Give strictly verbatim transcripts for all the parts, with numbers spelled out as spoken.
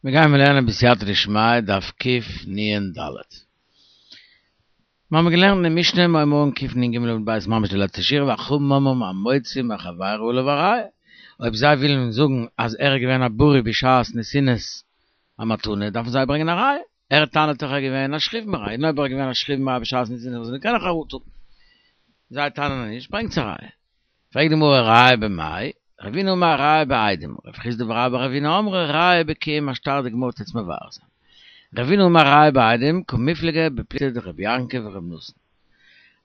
מיר גייען לערנען בסייעתא דשמיא דף קנ"ד. מיר האבן געלערנט אין משנה מיר הייבן אן קנ"ג עמוד ב' ממש די לעצטע שורה והחכמים אומרים המוציא מחבירו עליו הראיה. אויב זיי ווילן זאגן אז ער איז געווען א בריא בשעת נתינת המתנה דארפן זיי ברענגען א ראיה. ער טענה'ט דאך ער איז געווען א שכיב מרע, און אויב ער איז געווען א שכיב מרע בשעת נתינה זאל ער קענען חרטה האבן. זיי טענה'ן נישט, ברענגטס א ראיה. פרעגט די גמרא ראיה במאי? רבינא אמר ראיה בעדים, רב חסדא ורבה בר אבינא אמרי ראיה בקיום השטר די גמרא טוט מבאר זיין. רבינא אמר ראיה בעדים קמיפלגי בפלוגתא דרבי יעקב ורבי נתן.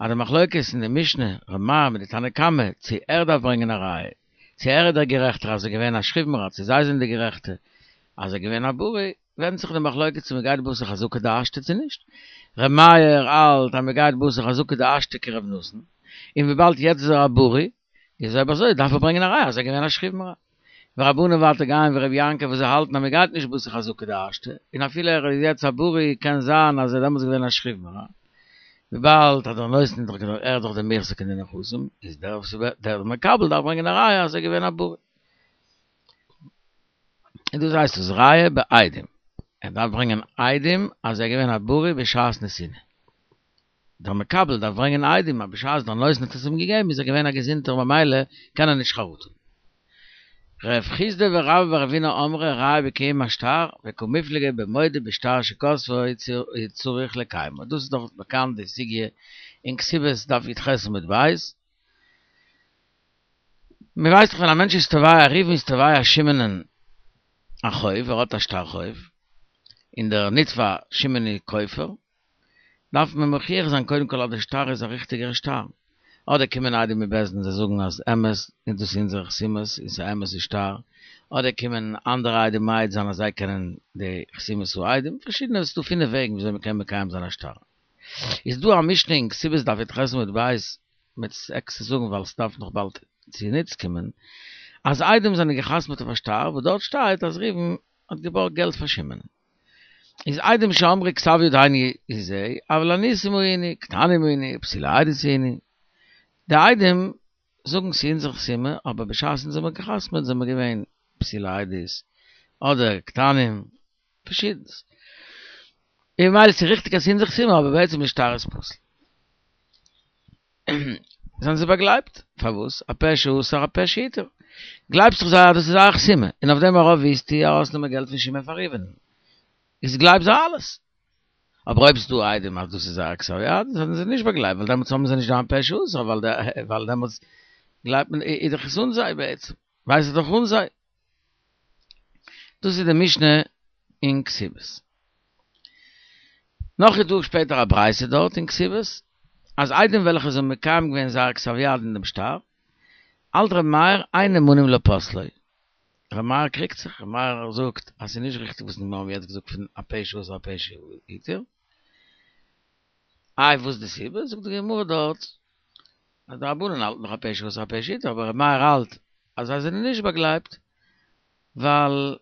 אז די מחלוקת אין די משנה ר' מאיר מיט די תנא קמא צו ער דארף ברענגען א ראיה, צו ער איז דער גערעכטער אז ער איז געווען א שכיב מרע צו זיי זענען די גערעכטע אז ער איז געווען א בריא, ווענדט זיך די מחלוקת צו מ'גייט בתר חזקה דהשתא צו נישט. ר' מאיר האלט אז מ'גייט בתר חזקה דהשתא כר' נתן, און וויבאלד יעצט איז ער א בריא, איז אויב אזוי דארף ער ברענגען א ראיה אז ער איז געווען א שכיב מרע. ורבנן ווייטער גייען ווי ר' יעקב וואס זיי האלטן אז מ'גייט נישט בתר חזקה דהשתא, און אפילו ער איז יעצט א בריא קען זיין אז ער איז דעמאלטס געווען א שכיב מרע, וויבאלד אז דער נותן איז דאך ער איז דאך דער מוחזק אין די נכסים, איז דער דער מקבל דארף ברענגען א ראיה אז ער איז געווען א בריא. און דאס הייסט עס ראיה בעדים, ער דארף ברענגען עדים אז ער איז געווען א בריא בשעת נתינה. דער מקבל דארף ברענגען עדים אז בשעת דער נותן האט עס אים געגעבן איז ער געווען א געזונטער ממילא קען ער נישט חרטה האבן. רב חסדא ורבה בר אבינא אמרי ראיה בקיום השטר וקמיפלגי במודה בשטר שכתבו צריך לקיימו. דאס איז דאך באקאנט די סוגיא אין כתובות דף י"ח עמוד ב'. מען ווייסט דאך ווען א מענטש איז תובע ראובן איז תובע שמעונ'ען א חוב, ער האט א שטר חוב, און דער נתבע שמעון איז כופר, דארף מען מוכיח זיין קודם כל אז די שטר איז א ריכטיגער שטר, אדער קומען עדים מבית דין זיי זאגן אז אמת און דאס איז אונזערע חתימות און ס'איז א אמת'ע שטר, אדער קומען אנדערע עדים מעיד זיין אז זיי קענען די חתימות העדים, פארשידענע, ס'איז דא פינף וועגן וויאזוי מ'קען מקיים זיין א שטר. איז דא א משנה אין כתובות דף י"ח עמוד ב', מ'וועט עס עקסטער זאגן ווייל ס'דארף נאך באלד צוניץ קומען, אז עדים זענען גע'חתמ'עט אויף א שטר וואס דארט שטייט אז ראובן האט געבארגט געלט פאר שמעון. איז עדים שאמרו כתב ידינו הוא זה, אבל אנוסים היינו, קטנים היינו, פסולי עדות היינו. די עדים זאגן ס'איז אונזער חתימה, אבער בשעת אונז האמיר גע'חתמ'עט זעמיר געווען פסולי עדות, אדער קטנים, פארשידנס. און ממילא ס'איז ריכטיג אז ס'איז אונזער חתימה, אבער בעצם די שטר איז פסול. זענען זיי באגלייבט? פארוואס? הפה שאסר הפה שהתיר. גלייבסט דאך זיי אז דאס איז זייער חתימה, און אויף דעם ארויף ווילסטו ארויסנעמען געלט פון שמעון פאר ראובן. איז גלייב זיי אלעס. אבער אויב ס'דא עדים אז דאס איז זייער כתב יד, זענען זיי נישט באגלייבט, ווייל דעמאלטס האבן זיי נישט דיין פה שאסר, ווייל דעמאלטס גלייבט מען איז דאך עס אן זיי בעצם, ווייסט ער דאך אן זיי. דאס איז די משנה אין כתובות. נאך איז דא שפעטער א ברייתא דארט אין כתובות, אז עדים וועלכע זיי האבן מקיים געווען זייער כתב יד אין דעם שטר, האלט ר' מאיר אין נאמנים לפוסלו. ר' מאיר קריגט זיך, ר' מאיר זאגט אז ס'איז נישט ריכטיג וואס מיר האבן יעצט געזאגט פון הפה שאסר הפה שהתיר. איי וואס די סיבה? זאגט די גמרא דארט אז די רבנן האלטן דאך הפה שאסר הפה שהתיר, אבער ר' מאיר האלט אז זיי זענען נישט באגלייבט, ווייל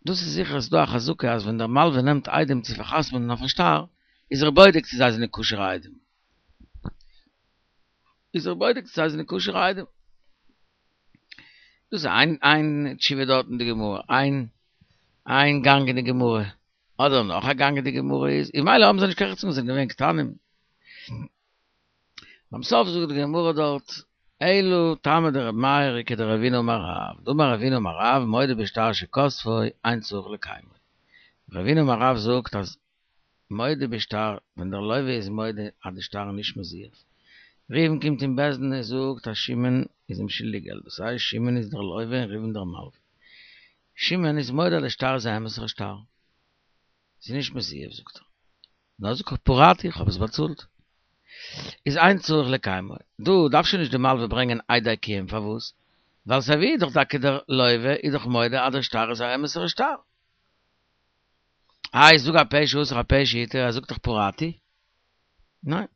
דאס איז זיכער אז ס'דא א חזקה אז ווען דער מלווה נעמט עדים צו פאר'חתמ'נען אויף א שטר, איז ער בודק צו זיי זענען כשר'ע עדים. איז ער בודק צו זיי זענען כשר'ע עדים. דאס איז איין איין תשובה דארט אין די גמרא, איין איין גאנג אין די גמרא. אדער נאך א גאנג אין די גמרא איז, און ממילא האבן זיי נישט קיין רעכט צו זיי זענען געווען קטנים. ביים סוף זאגט די גמרא דארט, אלא טעמא דרבי מאיר כדרבינא אמר רב, דאמר רבינא אמר רב מודה בשטר שכתבו אין צריך לקיימו. רבינא אמר רב זאגט אז מודה בשטר, ווען דער לווה איז מודה אז די שטר איז נישט מזויף. ראובן קומט אין בית דין און זאגט אז שמעון איז אים שולדיג געלט, דאס הייסט שמעון איז דער לווה און ראובן דער מלווה. שמעון איז מודה אז די שטר איז א אמת'ער שטר. ס'איז נישט מזויף זאגט ער. נאר זאגט ער פרעתי איך האב עס באצאלט. איז אין צריך לקיימו. דא דארף שוין נישט די מלווה ברענגען עדי קיום פארוואס? ווייל סיי ווי איז דאך טאקע דער לווה איז דאך מודה אז דער שטר איז א אמת'ער שטר. איי זאג הפה שאסר הפה שהתיר ער זאגט דאך פרעתי. ניין.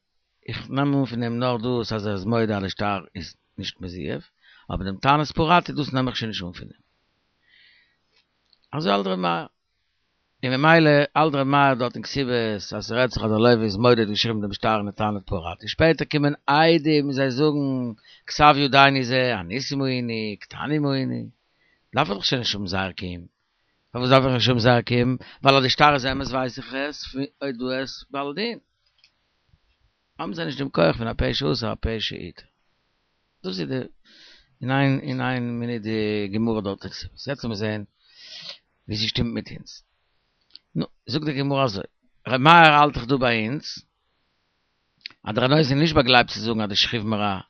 איך נעם אן פון אים נאר דאס אז ער איז מודה אז די שטר איז נישט מזויף, אבער דעם טענת פרעתי דאס נעם איך שוין נישט אן פון אים. אזוי האלט ר' מאיר. און ממילא האלט ר' מאיר דארט אין כתובות אז ס'רעדט זיך אז דער לווה איז מודה האט געשריבן דעם שטר און ער טענה'ט פרעתי. שפעטער קומען עדים און זיי זאגן כתב ידינו זה, אנוסים היינו, קטנים היינו. דארף ער דאך שוין נישט האבן זייער קיום. פארוואס דארף איך נישט האבן זייער קיום? ווייל אז די שטר איז אמת ווייס איך עס פון הודאת בעל דין. האבן זיי נישט דעם כח פון הפה שאסר הפה שהתיר. דאס איז די אין איין אין איין מינוט די גמרא דארט אין כתובות. יעצט לאמיר זעהן ווי ס'שטימט מיט אונז. נו, זאגט די גמרא אזוי, ר' מאיר האלט דאך דא ביי אונז אז דער נותן איז נישט באגלייבט צו זאגן אז די שכיב מרע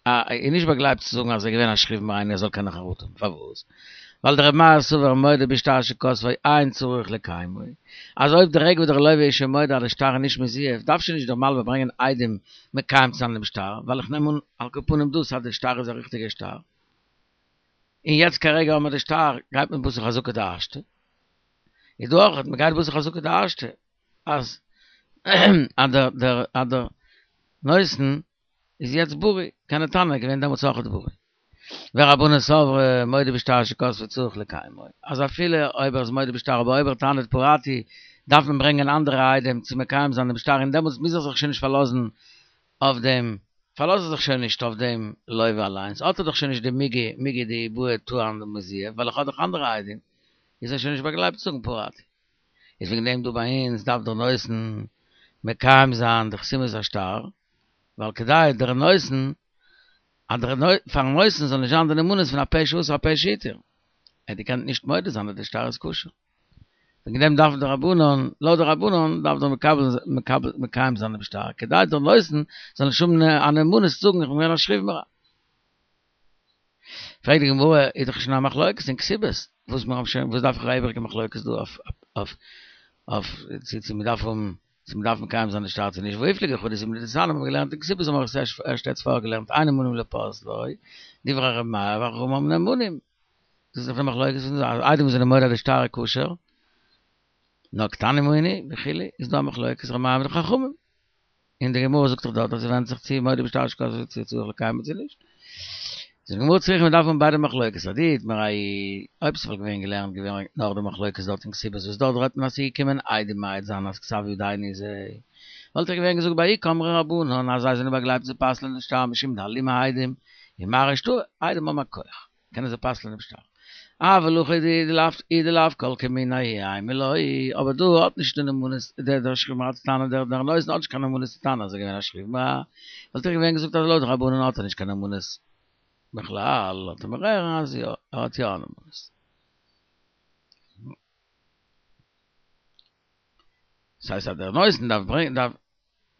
איז נישט באגלייבט צו זאגן אז ער איז געווען א שכיב מרע און ער זאל קענען חרטה האבן. פארוואס? ווייל דר' מאיר סבר מודה בשטר שכתבו אין צריך לקיימו. אז אויב די רגע וואס דער לוה איז שוין מודה אז די שטר איז נישט מזויף, דארף שוין נישט דער מלווה ברענגען עדים מקיים צו זיין דעם שטר, ווייל איך נעם אן על כל פנים דאס אז די שטר איז א ריכטיגע שטר. און יעצט כרגע האבן מיר די שטר, גייט מען בתר חזקה דהשתא. איז דא אויך, מען גייט בתר חזקה דהשתא, אז אז דער דער אז דער נותן איז יעצט בריא, קען ער טענה'ן ער איז געווען דעמאלטס אויכעט בריא. ורבנן סברי מודה בשטר שכתבו צריך לקיימו, אז אפילו אויב ער איז מודה בשטר אבער אויב ער טענה'ט פרעתי דארף מען ברענגען אנדערע עדים צו מקיים זיין דעם שטר און דעמאלטס מוז ער זיך שוין נישט פארלאזן אויף דעם, פארלאזט ער זיך שוין נישט אויף דעם לוה אליינס, האט ער דאך שוין נישט די מיגו מיגו דאי בעי טען דמזויף ווייל איך האב דאך אנדערע עדים, איז ער שוין נישט באגלייבט צו זאגן פרעתי. איז וועגן דעם דא ביי אונז דארף דער נותן מקיים זיין די חתימת השטר, ווייל כדי דער נותן, אז דער פארן נותן זאל נישט זיין די נאמנות פון הפה שאסר הפה שהתיר, ער האט געקענט נישט מודה זיין אז די שטר איז כשר. וועגן דעם דארף די רבנן, לויט די רבנן דארף דער מקבל מקבל מקיים זיין דעם שטר, כדי דער נותן זאל נישט האבן א נאמנות צו זאגן איך בין געווען א שכיב מרע. פרעגט די גמרא, איז דאך שוין א מחלוקת אין כתובות, וואס מיר האבן שוין, וואס דארף איך א איבעריגע מחלוקת דא אויף אויף אויף צו צו מ'דארף האבן צו מ'דארף מקיים זיין די שטר צו נישט, והא איפליגו חדא זימנא דתניא האבן מיר געלערנט אין כתובות האבן מיר עס ערשט יעצט פארגעלערנט אין נאמנים לפוסלו, דברי ר' מאיר וחכמים נאמנים, דאס איז דאך די מחלוקת פון די עדים וואס זענען מודה אז די שטר איז כשר, נאר קטנים היינו וכו' איז דא א מחלוקת ר' מאיר מיט די חכמים. און די גמרא זאגט דאך דארט אז ס'ווענדט זיך צו מודה בשטר שכתבו צו צריך לקיימו צו נישט. זאגט די גמרא צריכא מ'דארף האבן ביידע מחלוקת אי איתמר ההיא אויב ס'וואלט געווען געלערנט געווען נאך די מחלוקת דארט אין כתובות וואס דארט רעדט מען אז ס'איז געקומען עדים מעיד זיין אז כתב ידינו זה וואלט איך געווען געזאגט בההיא קאמרי רבנן אז זיי זענען באגלייבט צו פסל'ען די שטר משום דאלימי עדים ומרעי שטרא עדים האבן א כח קענען זיי פסל'ען דעם שטר. אבל הכא אי דלאו כל כמיניה אימא לא, אבער דא האט נישט די נאמנות, דער דער שכיב מרע צו טענה'ן, דער דער נותן האט נישט קיין נאמנות צו טענה'ן אז ער איז געווען א שכיב מרע, וואלט איך געווען געזאגט אז לויט רבנן האט ער נישט קיין נאמנות בכלל, לאזט ער מיר הערן אז יא, ער האט יא א נאמנות. דאס הייסט אז דער נותן דארף ברענגען דארף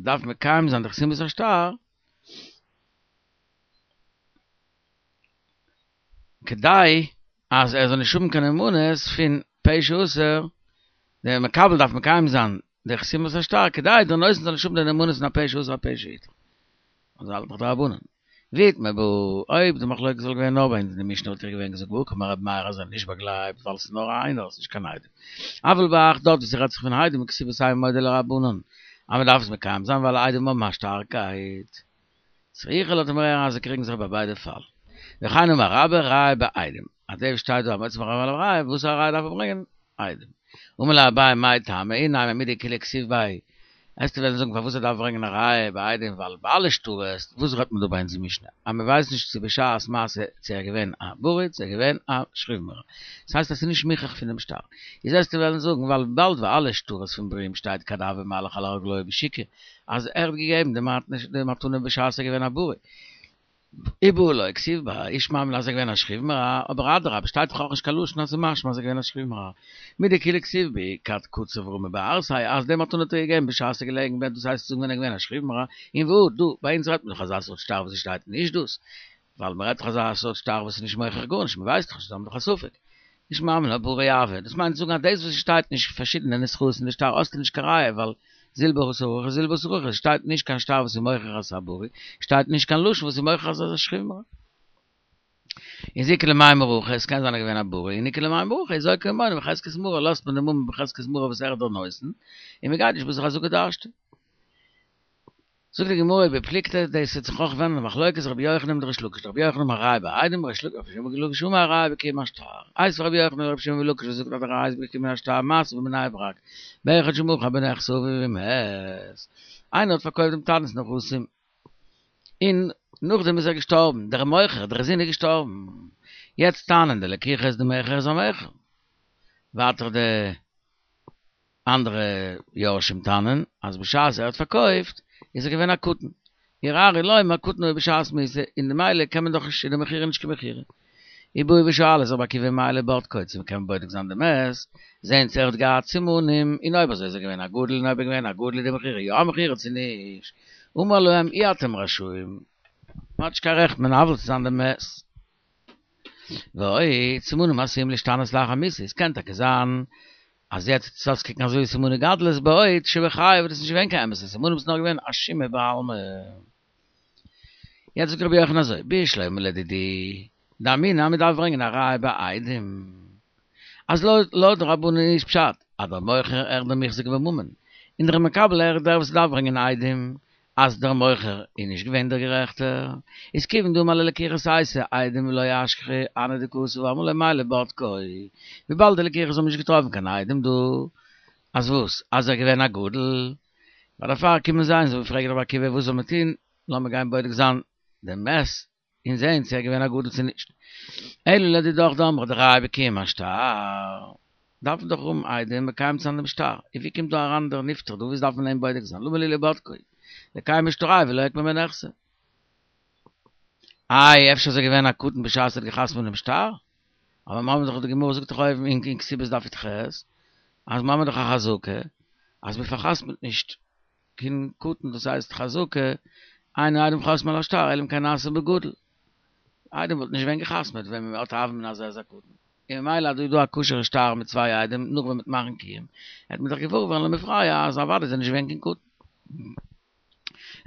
דארף מקיים זיין די חתימת השטר, כדי אז ער זאל נישט האבן קיין נאמנות פון פה שאסר, דער מקבל דארף מקיים זיין די חתימת השטר כדי דער נותן זאל נישט האבן די נאמנות פון הפה שאסר הפה שהתיר. אזוי האלט דאך די רבנן. ואי איתמר בהא, אויב די מחלוקת וואלט געווען נאר ביי אונז אין די משנה וואלט איך געווען געזאגט בהא קאמר רבי מאיר אז ער איז נישט באגלייבט ווייל עס איז נאר איינער עס איז נישט קיין עדים. אבל בהך דארט וואו ס'רעדט זיך פון עדים כתובות אימא מודה לרבנן אז מ'דארף עס מקיים זיין ווייל עדים האבן א שטארקייט. צריכא לאזט מיר הערן אז זיי קריגן זיך ביי ביידע פאלן. וכן אמר רבה ראיה בעדים. אז דעם שטייט דא המוציא מחברו עליו ראיה, וואס א ראיה דארף מען ברענגען? עדים. אמר ליה אביי מאי טעמא אי נימא מדכולהו כתיב ביה עסטו וועלן זאגן פארוואס ער דארף ברענגען א ראיה ביי עדים ווייל ביי אלע שטרות וואס רעדט מען דא ביי אונזער משנה אז מען ווייסט נישט צו בשעת מעשה צו ער געווען א בריא צו ער געווען א שכיב מרע דאס הייסט אז ס'איז נישט מוכח פונעם שטר איז עסטו וועלן זאגן ווייל וויבאלד ביי אלע שטרות פון בריאים שטייט כד הוה מהלך על רגלוי בשוקא אז ער האט געגעבן די מתנה בשעת ער געווען א בריא ובהא לא כתיב ביה אי שמע מינה אז ער געווען א שכיב מרע, אבער אדרבה שטייט דאך אויך נישט קיין לשון אז ס'איז משמע אז ער געווען א שכיב מרע, מדכולהו כתיב בהו כד קציב רמי בערסיה אז די מתנה האט ער געגעבן בשעת ער איז געלעגן אין בעט דאס הייסט צו זאגן ווען ער געווען א שכיב מרע, און והא דא ביי אונז רעדט מען דאך אזא סארט שטר וואס עס שטייט נישט דאס, ווייל מ'רעדט דאך אזא סארט שטר וואס איז נישט מוכיח גארנישט מ'ווייסט דאך נישט זיי האבן דאך א ספק. אי שמע מינה בריא הוה, דאס מיינט צו זאגן אז דאס וואס עס שטייט נישט פארשידענע נוסחאות אין די שטר האסטו נישט קיין ראיה ווייל זיל בתר הכא זיל בתר הכא, עס שטייט נישט קיין שטר וואס איז מוכיח אז ס'איז א בריא, שטייט נישט קיין לשון וואס איז מוכיח אז עס איז א שכיב מרע. איז איכא למימר הכי, עס קען זיין ער איז געווען א בריא, און איכא למימר הכי, איז זוקפו ממונו בחזקת מרא, לאזט מען די ממון בחזקת מרא וואס ער איז דער נותן, און מען גייט נישט בתר חזקה דהשתא. זאגט די גמרא ובפלוגתא דאס וועט זיך אויך ווענדן במחלוקת רבי יוחנן מיט ריש לקיש דרבי יוחנן אמר ראיה בעדים ריש לקיש אמר ראיה בקיום השטר איתיביה רבי יוחנן לרבי שמעון בן לקיש וואס זאגט אז די ראיה איז בקיום השטר מעשה בבני ברק באחד שמכר בנכסי אביו ומת איינער האט פארקויפט דעם טאטנס נכסים און נאכדעם איז ער געשטארבן דער מוכר דער זון איז געשטארבן יעצט טענה'ן די לקוחות די מכר איז א מכר. ווייטער די אנדערע יורשים טענה'ן אז בשעת ער האט פארקויפט איז ער געווען א קטן. ירערעו לומר קטן היה בשעת מיתה, און ממילא קען מען דאך נישט איז די מכירה נישט קיין מכירה. ובאו ושאלו את רבי עקיבא מהו לבודקו צו מ'קען בודק זיין די מת, זעהן צו ער האט געהאט סימנים, און אויב אזוי איז ער געווען א גדול און אויב ער געווען א גדול איז די מכירה יא א מכירה צו נישט. אמר להם אי אתם רשאים, מ'האט נישט קיין רעכט מנוול צו זיין די מת. ועוד, סימנים עשויים להשתנות לאחר מיתה, עס קען טאקע זיין אז יעצט וועט עס אויסקוקן אזוי ווי סימני גדלות בעוד שבחייו איז דאס נישט געווען קיין אמת'ע סימנים ס'איז נאר געווען א שומא בעלמא. יעצט זאגט רבי יוחנן אזוי, בשלמא לדידי דאמינא אז מ'דארף ברענגען א ראיה בעדים אז לויט די רבנן איז פשט אז דער מוכר ער איז דער מוחזק בממון און דער מקבל ער איז דער וואס דארף ברענגען עדים אז דער מוכר איז נישט געווען דער גערעכטער, איז כיוון דאמר ליה לקיחות אייתו עדים ולא אשכחו הני דכתב ואמרי לה מהו לבודקו, וויבאלד די לקיחות האבן נישט געטראפן קיין עדים דא, אז וואס? אז ער איז געווען א גדול? ווייל דערפאר קומען זיי און זיי פרעגן רבי עקיבא וואס זאל מען טון, לאמיר גיין בודק זיין דעם מת און זען צו ער איז געווען א גדול צו נישט. אלא לדידך דאמרת דראיה בקיום השטר, דארף מען דאך האבן עדים מקיים צו זיין דעם שטר, און ווי קומט דא אריין דער נפטר דא, וואס דארף מען אים בודק זיין, למה לי לבודקו, לקיימיה שטרייהו ולא אוקמיה מנכסי. איי אפשר איז ער געווען א קטן בשעת ער האט געחתמעט דעם שטר? אבער מיר האבן דאך די גמרא זאגט דאך אויבן אין כתובות דף י"ח אז מיר האבן דאך א חזקה אז מען פארחתמעט נישט קיין קטן דאס הייסט חזקה אין העדים חותמין על השטר אלא אם כן נעשה בגדול. עדים וואלט נישט געווען געחתמעט ווען מען האט א הוה אמינא אז ער איז א קטן. און ממילא אז דא איז דא א כשר'ע שטר מיט צוויי עדים נאך ווען מ'וועט מאכן קיום וועט מען דאך געוואר ווערן למפרע אז אוודאי איז ער נישט געווען קיין קטן.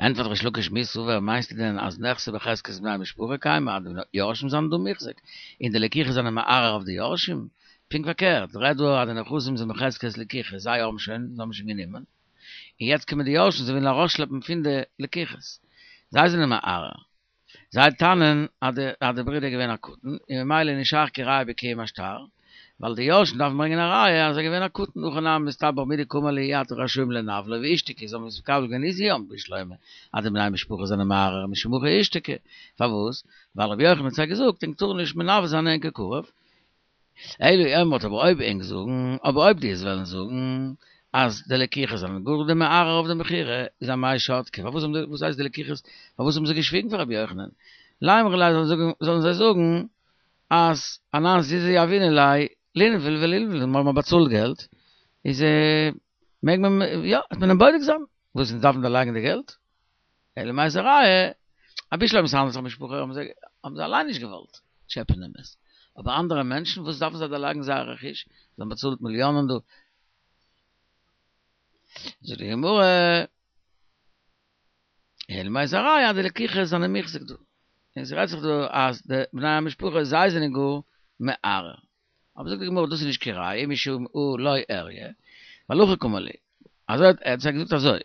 ענטפערט ריש לקיש מי סבר מיינסטו דען אז נכסי בחזקת בני משפחה קיימי אז די יורשים זענען דא מוחזק און די לקיחות זענען מערער אויף די יורשים? פונקט פארקערט רעד דא אז די נכסים זענען בחזקת לקיחות זיי האבן שוין זיי האבן שוין גענומען און יעצט קומען די יורשים זיי ווילן ארויסשלעפן פון די לקיחות זיי זענען מערער זיי טענה'ן אז די אז די ברודער איז געווען א קטן און ממילא איז נישט שייך קיין ראיה בקיום השטר, ווייל די יורשים דארפן ברענגען א ראיה אז ער איז געווען א קטן, הכי נמי מסתברא מדקאמר להו אי אתם רשאים לנוולו ואישתיקו זיי האבן עס מקבל געווען איז יא בשלמא אז די בני משפחה זענען מערער משום הכי אישתיקו, פארוואס? ווייל רבי יוחנן האט זיי געזאגט ענק טארן נישט מנוול זיין ענקער קרוב, אלא אי אמרת אבער אויב ענק זאגן, אבער אויב דו וועסט וועלן זאגן אז די לקיחות זענען גאר די מערער אויף די מכירה, איז אמאי שתקי, פארוואס האבן די, וואס הייסט די לקיחות, פארוואס האבן זיי געשוויגן פאר רבי יוחנן? לימרו ליה זאלן זאגן, זאלן זיי זאגן אז אנן זוזי יהבינן ליה לינוול ולינוול, מיר האבן באצאלט געלט, איז מעג מען, יא, וועט מען אים בודק זיין, וואס אונז דארפן דערלייגן די געלט? אלא מאי ס'איז א ראיה, אז בשלמא ס'האנדלט זיך משפחה האבן זיי האבן זיי אליין נישט געוואלט טשעפען דעם מת, אבער אנדערע מענטשן וואס דארפן זיי דערלייגן זייער רכוש, זיי האבן באצאלט מיליאנען דא. זאגט די גמרא, אלא מאי ס'איז א ראיה אז די לקיחות זענען מוחזק דא, און ס'רעדט זיך דא אז די בני המשפחה זיי זענען גאר מערער. אבער זאגט די גמרא דאס איז נישט קיין ראיה משום הא לא איריא, ווייל הכי קאמר להו, אזוי האט ער זיי געזאגט אזוי,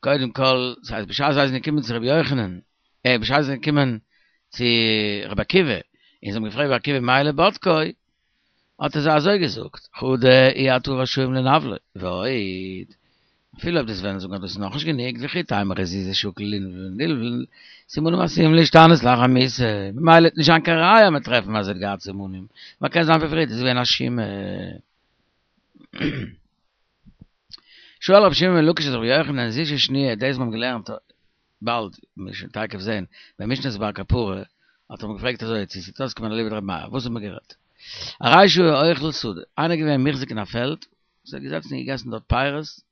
קודם כל, ס'הייסט בשעת זיי זענען געקומען צו רבי יוחנן, אה בשעת זיי זענען געקומען צו רבי עקיבא, און זיי האבן געפרעגט רבי עקיבא מהו לבודקו, האט ער זיי אזוי געזאגט, חדא אי אתו רשאים לנוולו, ועוד, אפילו אויב דו וועסט וועלן זאגן אז דאס איז נאכנישט גענוג, וכי תימא זוזי שקיל לינוול נלוול, סימנים עשויים להשתנות לאחר מיתה, ממילא וועט נישט זיין קיין ראיה מ'וועט טרעפן אז ער האט געהאט סימנים, ווייל קען זיין פון פריערט איז געווען א שומא. שואל רבי שמעון בן לקיש את רבי יוחנן זישא שניה, דאס מיר האבן געלערנט באלד, מיר שוין תיכף זעהן, במשנת בר קפרא האט ער אים געפרעגט אזוי צו ס'איז אויסגעקומען אליבא דרבי מאיר, וואס האט מען גערעדט? הרי שהיה אוכל שדה, איינער איז געווען מוחזק אין א פעלד, איז ער געזעצן און געגעסן דארט פירות,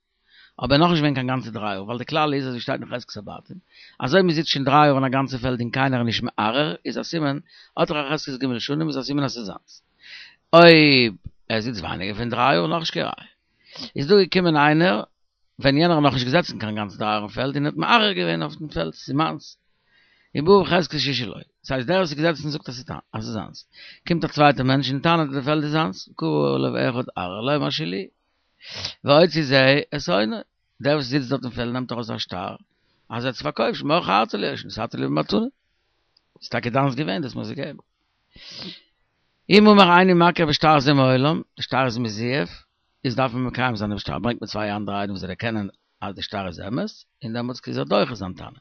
אבער נאכנישט געווען קיין גאנצע דריי יאר, ווייל די כלל איז אזוי שטייט אין חזקת הבתים, אז אויב מ'זיצט שוין דריי יאר אין א גאנצע פעלד און קיינער איז נישט מערער, איז א סימן, האט ער א חזקת ג' שנים איז א סימן אז ס'איז זיינס. אויב ער זיצט ווייניגער פון דריי יאר, נאכנישט קיין ראיה. איז דא געקומען איינער, ווען יענער האט נאכנישט געזעצן קיין גאנצע דריי יאר אין פעלד און האט מערער געווען אויף דעם פעלד, ס'איז מיינס. ובא בחזקת ששה לו. דאס הייסט דער וואס איז געזעצן זאגט אז ס'איז זיינס. קומט א צווייטער מענטש און טענה'ט אז די פעלד איז זיינס, קרא עליו אחד ערער לומר שלי. והוציא זה את הונו. דער וואס זיצט דארט אין פעלד נעמט ארויס א שטר אז ער האט עס פארקויפט, שמכרת לי או שנתת לי במתנה. ס'איז טאקע דיינס געווען, דו האסט מיר עס געגעבן. אם אמר איני מכיר בשטר זה מעולם, די שטר איז מזויף, איז דארף מען מקיים זיין דעם שטר, ברענגט מען צוויי אנדערע עדים וואס זיי דערקענען אז די שטר איז אמת, און דעמאלטס איז ער דוחה זיין טענה.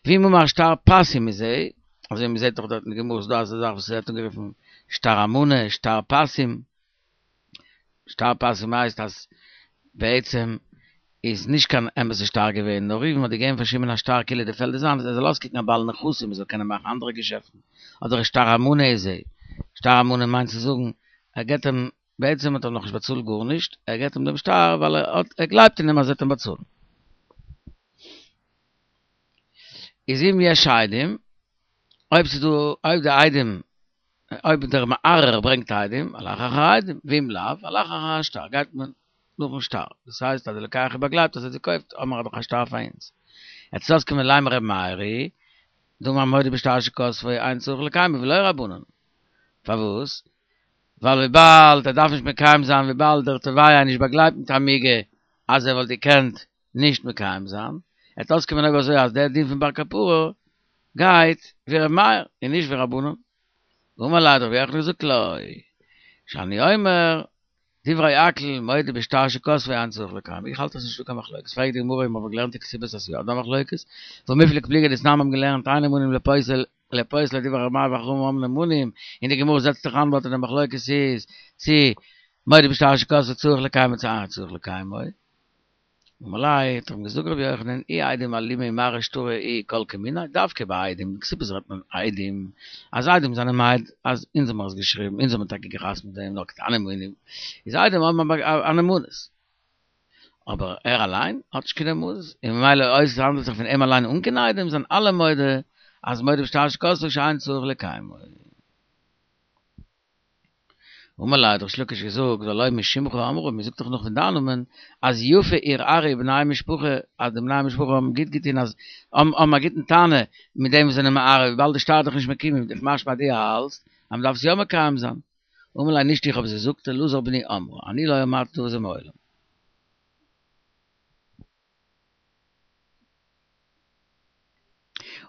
ואם אמר שטר פסי מזה, אזוי ווי מען זעט דאך דארט אין די גמרא איז דא אזא זאך וואס ווערט אנגערופן שטר אמנה, שטר פסים, שטר פסים הייסט אז בעצם איז נישט קיין אמת'ע שטר געווען, נאר ראובן האט געגעבן פאר שמעון א שטר כאילו די פעלד איז זיינס, ער זאל אויסקוקן א בעל נכסים, ער זאל קענען מאכן אנדערע געשעפטן, אדער שטר אמנה איז ער, שטר אמנה מיינט צו זאגן, ער געבט אים, בעצם האט ער נאכנישט באצאלט גארנישט, ער געבט אים דעם שטר ווייל ער האט, ער גלייבט אין אים אז ער וועט אים באצאלן. איז אם יש עדים, אויב ס'איז דא, אויב די עדים, אויב דער מערער ברענגט עדים, הלך אחר העדים, ואם לאו, הלך אחר השטר, גייט מען נאכן שטר, דאס הייסט אז די לוקח איז באגלייבט אז ער האט געקויפט, האמער דאך א שטר פאר אונז. יעצט אויסקומען לימא ר' מאיר היא, דאמר מודה בשטר שכתבו אין צריך לקיימו ולא רבנן. פארוואס? ווייל וויבאלד ער דארף נישט מקיים זיין וויבאלד דער תובע איז נישט באגלייבט מיט א מיגו אז ער וואלט געקענט נישט מקיים זיין, וועט אויסקומען אויב אזוי אז דער דין פון בר קפרא גייט ווי ר' מאיר און נישט ווי רבנן. אמר ליה האט רבי יוחנן געזאגט לא שאני אומר דברי הכל מודה בשטר שכתבו אין צריך לקיימו איך האלט אז ס'נישטא קיין מחלוקת פרעגט די גמרא מיר האבן געלערנט אין כתובות אז ס'יא דא מחלוקת והא מיפלג פליגי דתנן מיר האבן געלערנט אין נאמנים לפוסל לפוסלי דברי ר' מאיר וחכמים אומרים נאמנים און די גמרא זעצט זיך איין דארט אז די מחלוקת איז צי מודה בשטר שכתבו צריך לקיימו צי אין צריך לקיימו. אמר ליה, האט אים געזאגט רבי יוחנן, אי עדים אלימי מרעי שטרא איהו כל כמיניה, דווקא ביי עדים, אין כתובות רעדט מען עדים, אז עדים זענען מעיד אז אונז האבן מיר עס געשריבן, אונז האבן טאקע געחתמ'ט דעם, נאר קטנים היינו, איז עדים האבן א נאמנות. אבער ער אליין האט נישט קיין נאמנות, און ממילא אויב עס האנדלט זיך פון אים אליין אן קיין עדים זענען אלע מודה אז מודה בשטר שכתבו שאין צריך לקיימו. אמר ליה האט ריש לקיש געזאגט והלא משמך אמרו, מען זאגט דאך נאך פון דיין נאמען אז יפה ערערו בני משפחה, אז די בני משפחה האבן גוט געטון אז האבן א גוטן טענה מיט דעם וואס זענען מערער וויבאלד די שטר איז דאך נישט מקוים איז דאך משמע אז דו האלטסט אז מען דארף עס יא מקיים זיין. אמר ליה נישט איך האב עס געזאגט אלעזר בני אמרה, אני לא אמרתי דבר זה מעולם.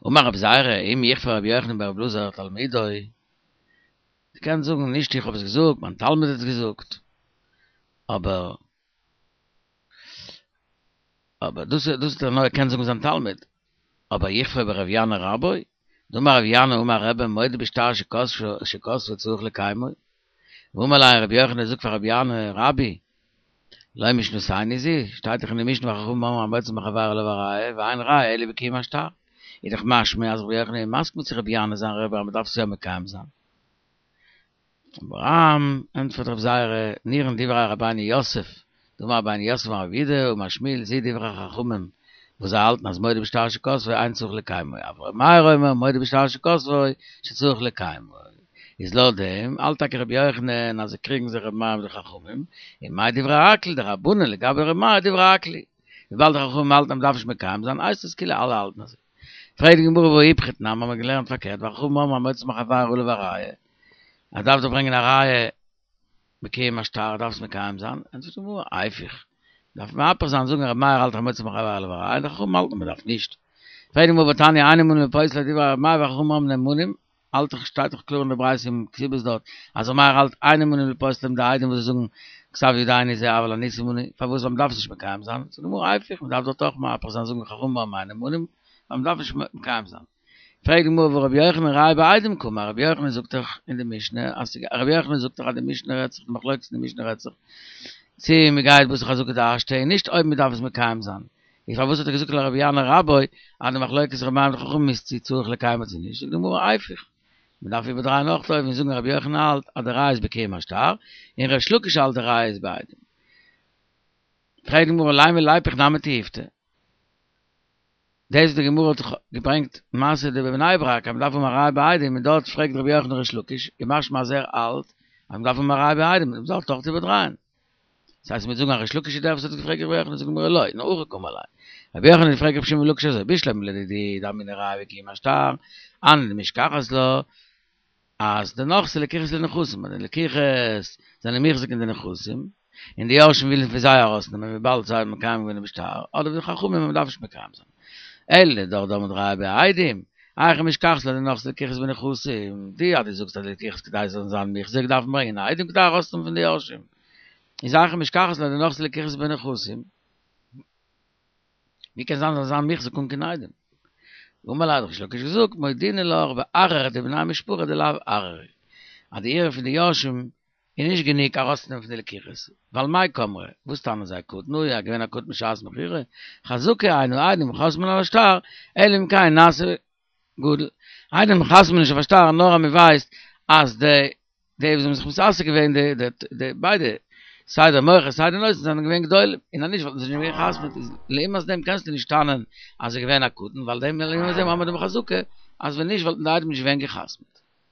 אמר רבי זירא, אם יכפה רבי יוחנן ברבי אלעזר תלמידו, דו קענסט זאגן נישט איך האב עס געזאגט, מיין תלמיד האט עס געזאגט, אבער אבער דאס דאס האט ער נאר געקענט זאגן זיין תלמיד, אבער יכפה ברבי ינאי רבו, דאמר רבי ינאי אמר רבי מודה בשטר שכתבו צריך לקיימו, ואמר ליה רבי יוחנן זאגט פאר רבי ינאי רבי, לא משנתנו זו, שטייט דאך אין די משנה וחכמים אומרים המוציא מחבירו עליו הראיה, ואין ראיה אלא בקיום השטר, איז דאך משמע אז רבי יוחנן איז מסכים צו רבי ינאי זיין רבי אז מען דארף עס יא מקיים זיין. אבער ענטפערט רבי זירא, נראין דברי רבינו יוסף, דאמר רבינו יוסף אמר רב יהודה אמר שמואל זו דברי חכמים וואס זיי האלטן אז מודה בשטר שכתבו אין צריך לקיימו, אבל ר' מאיר אומר מודה בשטר שכתבו שצריך לקיימו, איז לויט דעם האלט טאקע רבי יוחנן אז זיי קריגן זיך ר' מאיר מיט די חכמים, און מאי דברי הכל דרבנן לגבי ר' מאיר דברי הכל היא, וויבאלד די חכמים האלטן אז מ'דארף נישט מקיים זיין הייסט עס כאילו אלע האלטן אזוי. פרעגט די גמרא והא איפכא תנן האבן מיר געלערנט פארקערט וחכמים אומרים המוציא מחבירו עליו הראיה, אז דארף דאך ברענגען א ראיה בקיום השטר דארף עס מקיים זיין, ענטפערט די גמרא היפוך, דארף מהפך זיין זאגן רבי מאיר האלט המוציא מחבירו עליו הראיה און די חכמים האלטן מ'דארף נישט. פרעגט די גמרא והתניא אין נאמנים לפוסלי דברי רבי מאיר וחכמים אומרים נאמנים, האלט דאך שטייט דאך קלאר אין די ברייתא אין כתובות דארט אז ר' מאיר האלט אין נאמנים לפוסלם די עדים וואס זיי זאגן כתב ידינו זה אבל אנוסים אנו פארוואס ווייל מ'דארף עס נישט מקיים זיין זאגט די גמרא היפוך מ'דארף דארט אויך מהפך זיין זאגן חכמים אומרים אין נאמנים ווייל מ'דארף נישט מקיים זיין. פרעגט די גמרא והא רבי יוחנן ראיה בעדים קאמר רבי יוחנן זאגט דאך אין די משנה אז רבי יוחנן זאגט דאך אז די משנה רעדט זיך די מחלוקת אין די משנה רעדט זיך צו מ'גייט בתר חזקה דהשתא און נישט אויב מ'דארף עס מקיים זיין איז פארוואס האט ער געזאגט לרבי ינאי רבו אז די מחלוקת ר' מאיר מיט די חכמים איז צו צריך לקיימו צו נישט, זאגט די גמרא היפוך, מען דארף איבערדרייען אויך אויבן און זאגן רבי יוחנן האלט אז די ראיה איז בקיום השטר, און ריש לקיש האלט די ראיה איז בעדים. פרעגט די גמרא לימא ליפוך נמי תיובתא. דאס וואס די גמרא האט געברענגט מעשה דבבני ברק אז מען דארף האבן א ראיה בעדים און דארט פרעגט רבי יוחנן ריש לקיש איז משמע אז ער האלט אז מען דארף האבן א ראיה בעדים, מען זאל דאך איבערדרייען. דאס הייסט מיר זאגן אז ריש לקיש איז דער וואס האט געפרעגט רבי יוחנן זאגט די גמרא לא, נאר הכי קאמר ליה. רבי יוחנן האט געפרעגט רבי שמעון בן לקיש אזוי, בשלמא לדידי דאמינא ראיה בקיום השטר, הני דמשכחת לה, אז די נכסי לקיחות לנכסים, אז די לקיחות זענען מוחזק אין די נכסים, און די יורשים ווילן פון זיי ארויסנעמען וויבאלד זיי האבן מקיים געווען דעם שטר, אדער ווי די חכמים אז מ'דארף נישט מקיים זיין. אלא לדידך דאמרת ראיה בעדים, היכי משכחת לה דנכסי לקיחות בנכסים, דו אז דו זאגסט אז די לקיחות כדי זיי זאלן זיין מוחזק דארף מען ברענגען עדים כדי ארויסנעמען פון די יורשים. איז היכי משכחת לה דנכסי לקיחות בנכסים. ווי קען זיין זאל זיין מוחזק אן קיין עדים? אמר ליה האט ריש לקיש געזאגט מודינא לך בערערא דבני משפחה דלאו ערערי אז די ערעור פון די יורשים איז נישט גענוג ארויסצונעמען פון די לקיחות, ווייל מאי קאמרי, וואס טענה'ן זיי קטן הוא, ער געווען א קטן בשעת מכירה, חזקה אין העדים חותמין על השטר, אלא אם כן נעשה גדול. עדים חתמ'ן נישט אויף א שטר נאר אז מען ווייסט אז די די וואס האבן זיך מתעסק געווען די די די ביידע סיי דער מוכר סיי די נותן זענען געווען גדולים, און אז נישט וואלטן זיי נישט געווען גע'חתמ'עט, איז לעומת דעם קענסטו נישט טענה'ן אז ער איז געווען א קטן, ווייל דעם לעומת דעם האבן מיר דעם חזקה אז ווען נישט וואלטן די עדים נישט געווען גע'חתמ'עט.